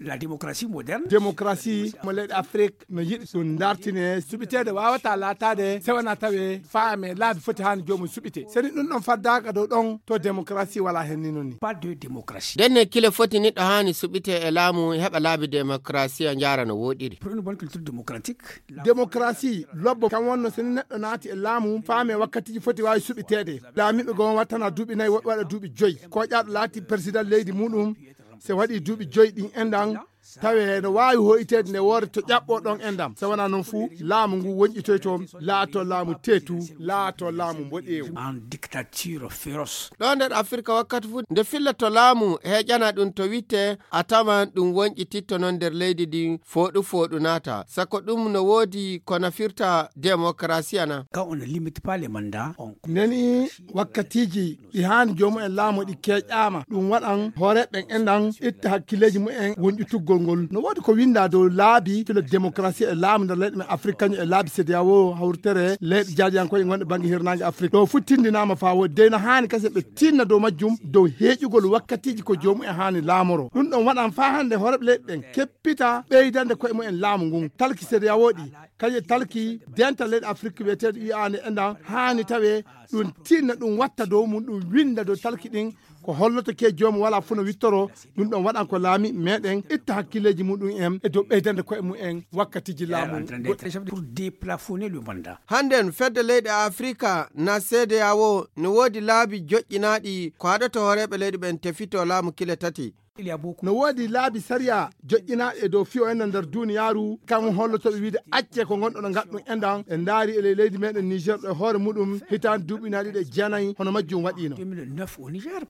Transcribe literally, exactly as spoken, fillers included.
La démocratie moderne. Démocratie mo leyɗe Afrik no yiɗi ɗum dartine, suɓiteede waawata laataade sewana tawe faame laabi foti haani joomum suɓite. Seni ɗum ɗon faddaaka dow ɗon, to démocratie wala hen ni non ni. Pas de démocratie. Ndenne kile foti neɗɗo haani suɓite e laamu heɓa laabi démocratie o njaara no wooɗiri. Pour une bonne culture démocratique, démocratie lobbo kam wonno seni neɗɗo naati e laamu faame wakkatiji foti waawi suɓiteede. Laamiiɓe goo wattana duuɓi nayi, woɓɓe waɗa duuɓi joyi. Koƴaaɗo laati président leydi muɗum, se waɗi duuɓi joyi ɗin enɗan, tawe no waawi hoyteede nde woore to ƴaɓɓo ɗon enɗan. Se wonaa noon fuu, laamu ngu wonƴitoyto, laato laamu teetu, laato laamu mboɗeewu. En dictature féroce. Ɗo nder Afirka wakkati fuu, nde filla to laamu heƴana ɗum to witte, a tawan ɗum wonƴititto noon nder leydi ndi fooɗu fooɗu naata. Sako ɗum no woodi ko nafirta démocratie ana. Quand on ne limite pas les mandats, on Neni wakkatiiji ɗi haani joomum en laamu ɗi keeƴaama. Ɗum waɗan hooreeɓe ɓen enɗan itta hakkileeji mumen wonƴutuggol ngol. No woodi ko winndaa dow laabi filo démocratie e laamu nder leyɗe men Afrik, kañum e laabi CEDEAO, hawritere leyɗe jaadiyankoje gonɗe bannge hirnaange Afrik. Ɗo fuu tinndinaama faa woodi. Dey no haani kasen ɓe tinna dow majjum, dow heeƴugol wakkatiiji ko joomum en haani laamoro. Ɗum ɗon waɗan faa hannde hooreeɓe leyɗe ɗen keppita ɓeydande koye mumen laamu ngun. Talki CEDEAO ɗi, kañum e talki dental leyɗe Afrik wiyeteeɗo U A ne enɗan haani tawe ɗum tinna, ɗum watta dow mum, ɗum winnda dow talki ɗin. Ko holloto ke joomum wala fuu no wittoro, ɗum ɗon waɗan ko laami meɗen itta hakkileeji muɗum en e dow ɓeydande koye mumen wakkatiiji laamu goɗɗi. Pour déplafonner le mandat. Hannden fedde leyɗe Afirka na CEDEAO ne woodi laabi joƴƴinaaɗi ko haɗata hooreeɓe leyɗe ɓen tefito laamu kile tati. No woodi laabi sariya joƴƴinaaɗi e dow fiyo en nder duuniyaaru, kam holloto ɓe wiide acce ko ngonɗon ngaɗɗum enɗan. En ndaari e ley leydi meɗen Niger ɗo e hoore muɗum hitaande duuɓi ujunaaji ɗiɗi e jeenayi hono majjum waɗiino. deux mille neuf au Niger.